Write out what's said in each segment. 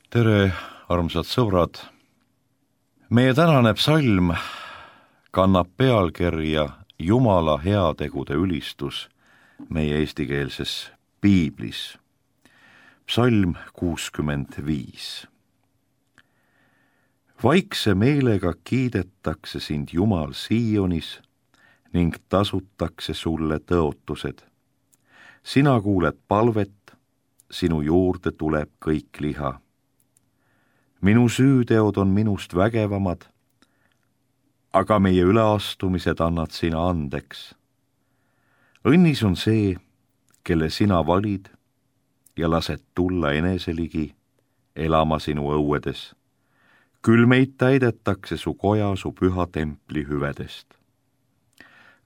Tere, armsad sõbrad! Meie tänane psalm kannab pealkirja Jumala heategude ülistus meie eestikeelses piiblis. Psalm 65. Vaikse meelega kiidetakse sind Jumal Siionis ning tasutakse sulle tõotused. Sina kuuled palvet, sinu juurde tuleb kõik liha. Minu süüteod on minust vägevamad, aga meie üleastumised annad sina andeks. Õnnis on see, kelle sina valid ja lased tulla eneseligi elama sinu õuedes. Küll meid täidetakse su koja su püha templi hüvedest.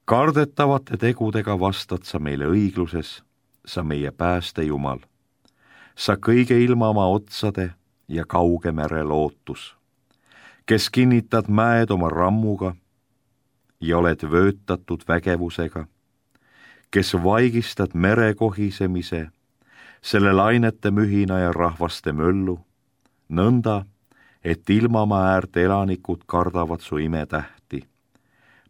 Kardetavate tegudega vastad sa meile õigluses, sa meie pääste Jumal. Sa kõige ilma oma otsade ja kauge mere lootus, kes kinnitad mäed oma rammuga ja oled vöötatud vägevusega, kes vaigistad mere kohisemise, selle lainete mühina ja rahvaste möllu, nõnda, et ilmamaa äärte elanikud kardavad su imetähti.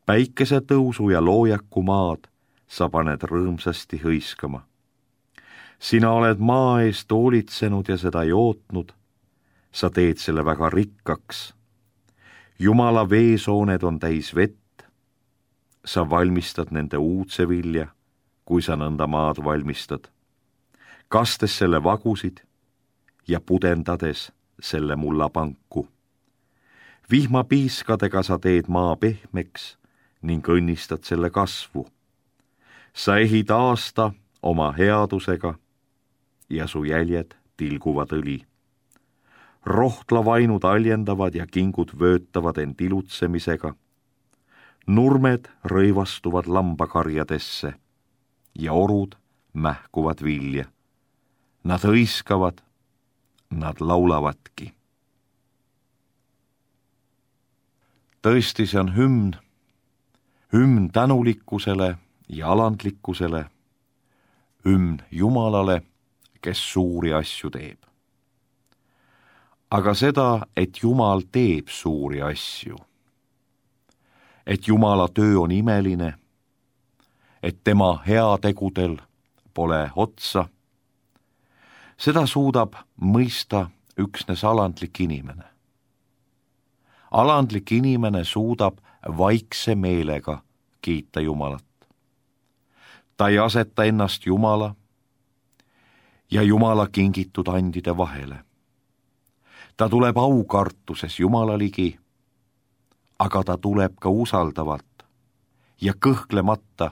Päikese tõusu ja loojaku maad sa paned rõõmsasti hõiskama. Sina oled maa eest hoolitsenud ja seda jootnud, sa teed selle väga rikkaks. Jumala veesooned on täis vett, sa valmistad nende uudse vilja, kui sa nõnda maad valmistad, kastes selle vagusid ja pudendades selle mullapanku. Vihmapiiskadega sa teed maa pehmeks ning õnnistad selle kasvu. Sa ehid aasta oma headusega ja su jäljed tilguvad õli. Rohtlavainud aljendavad ja kingud vöötavad end ilutsemisega. Nurmed rõivastuvad lambakarjadesse ja orud mähkuvad vilja. Nad hõiskavad, nad laulavadki. Tõesti, see on hümn tänulikkusele ja alandlikkusele, hümn Jumalale, kes suuri asju teeb. Aga seda, et Jumal teeb suuri asju, et Jumala töö on imeline, et tema heategudel pole otsa, seda suudab mõista üksnes alandlik inimene. Alandlik inimene suudab vaikse meelega kiita Jumalat. Ta ei aseta ennast Jumala ja Jumala kingitud andide vahele. Ta tuleb aukartuses Jumala ligi, aga ta tuleb ka usaldavalt ja kõhklemata,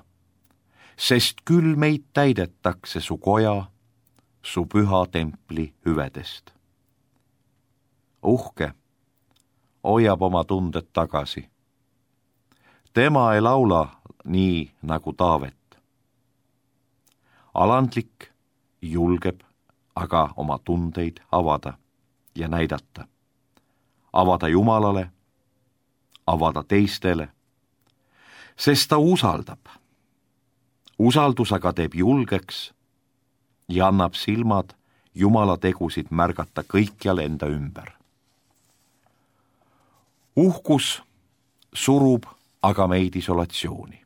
sest küll meid täidetakse su koja, su püha templi hüvedest. Uhke hoiab oma tunded tagasi. Tema ei laula nii nagu Taavet. Alandlik julgeb aga oma tundeid avada ja näidata. Avada Jumalale, avada teistele, sest ta usaldab. Usaldus aga teeb julgeks ja annab silmad Jumala tegusid märgata kõikjal enda ümber. Uhkus surub aga meid isolatsiooni.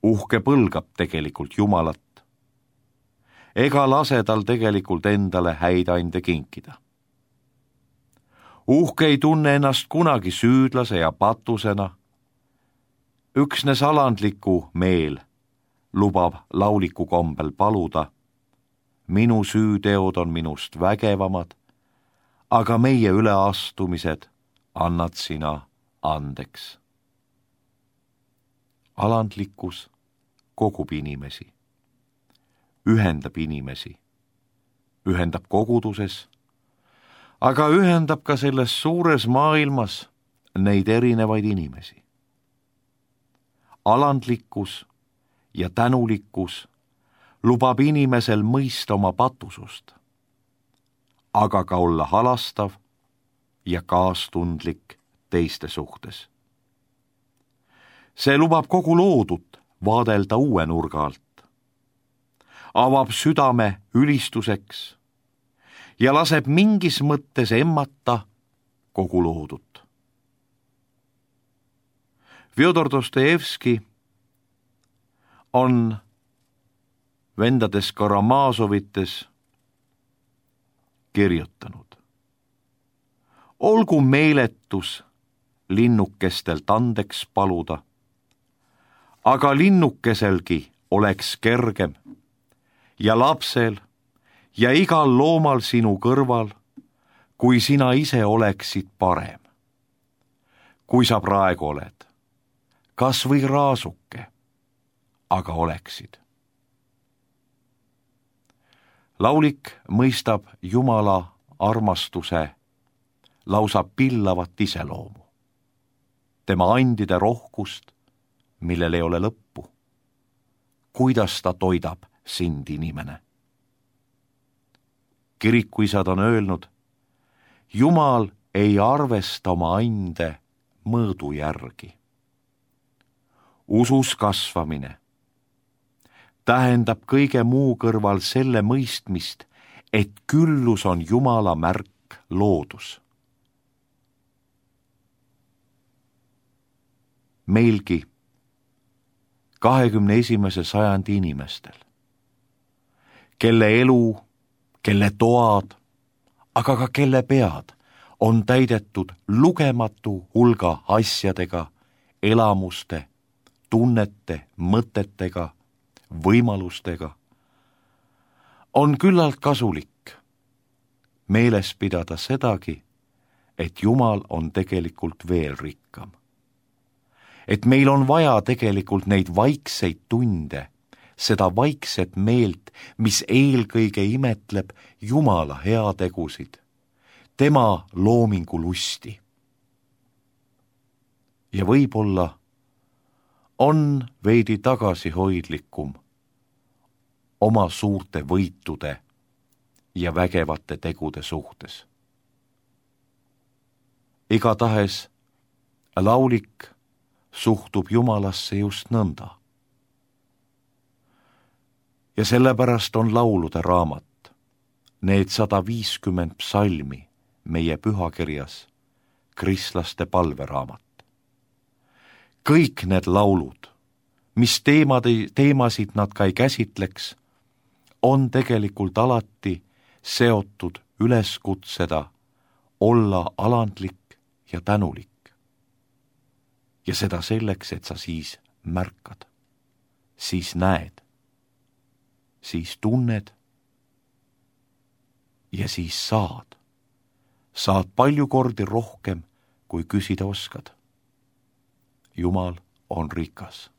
Uhke põlgab tegelikult Jumalat, ega lase tal tegelikult endale häid ande kinkida. Uhke ei tunne ennast kunagi süüdlase ja patusena. Üksnes alandliku meel lubab lauliku kombel paluda. Minu süüteod on minust vägevamad, aga meie üleastumised annad sina andeks. Alandlikkus kogub inimesi, ühendab inimesi, ühendab koguduses, aga ühendab ka selles suures maailmas neid erinevaid inimesi. Alandlikkus ja tänulikkus lubab inimesel mõista oma patusust, aga ka olla halastav ja kaastundlik teiste suhtes. See lubab kogu loodut vaadelda uue nurga alt, avab südame ülistuseks ja laseb mingis mõttes emmata kogu loodut. Fjodor Dostojevski on vendades Karamazovites kirjutanud: olgu meeletus linnukestelt andeks paluda, aga linnukeselgi oleks kergem ja lapsel ja igal loomal sinu kõrval, kui sina ise oleksid parem. Kui sa praegu oled, kas või raasuke, aga oleksid. Laulik mõistab Jumala armastuse lausa pillavat iseloomu, tema andide rohkust, millel ei ole lõppu. Kuidas ta toidab sind, inimene? Kirikuisad on öelnud, Jumal ei arvesta oma ande mõõdu järgi. Usus kasvamine tähendab kõige muu kõrval selle mõistmist, et küllus on Jumala märk loodus. Meilgi 21. sajandi inimestel, kelle elu, kelle toad, aga ka kelle pead on täidetud lugematu hulga asjadega, elamuste, tunnete, mõtetega, võimalustega, on küllalt kasulik meeles pidada sedagi, et Jumal on tegelikult veel rikkam. Et meil on vaja tegelikult neid vaikseid tunde, seda vaikset meelt, mis eelkõige imetleb Jumala heategusid, tema loomingu lusti. Ja võib-olla on veidi tagasihoidlikum oma suurte võitude ja vägevate tegude suhtes. Igatahes laulik suhtub Jumalasse just nõnda. Ja sellepärast on laulude raamat, need 150 psalmi meie pühakirjas, kristlaste palveraamat. Kõik need laulud, mis teemasid nad ka ei käsitleks, on tegelikult alati seotud üleskutseda olla alandlik ja tänulik. Ja seda selleks, et sa siis märkad, siis näed, siis tunned ja siis saad. Saad palju kordi rohkem, kui küsida oskad. Jumal on rikas.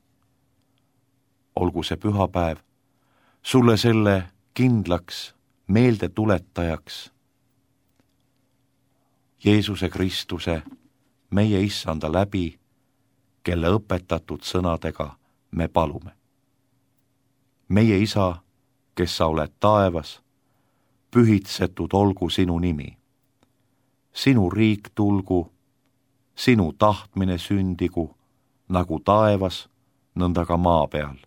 Olgu see pühapäev sulle selle kindlaks meeldetuletajaks. Jeesuse Kristuse, meie Issanda läbi, kelle õpetatud sõnadega me palume. Meie Isa, kes sa oled taevas, pühitsetud olgu sinu nimi. Sinu riik tulgu, sinu tahtmine sündigu, nagu taevas, nõnda ka maa peal.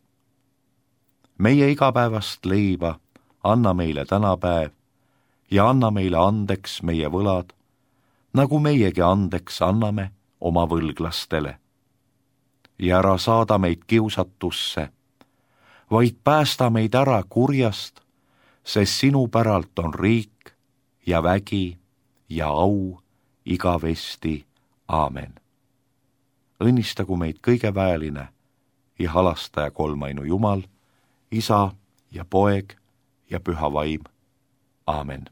Meie igapäevast leiba anna meile tänapäev ja anna meile andeks meie võlad, nagu meiegi andeks anname oma võlglastele. Ja ära saada meid kiusatusse, vaid päästa meid ära kurjast, sest sinu päralt on riik ja vägi ja au igavesti. Aamen. Õnnistagu meid kõige väeline ja halastaja kolmainu Jumal, Isa ja Poeg ja Püha Vaim. Aamen.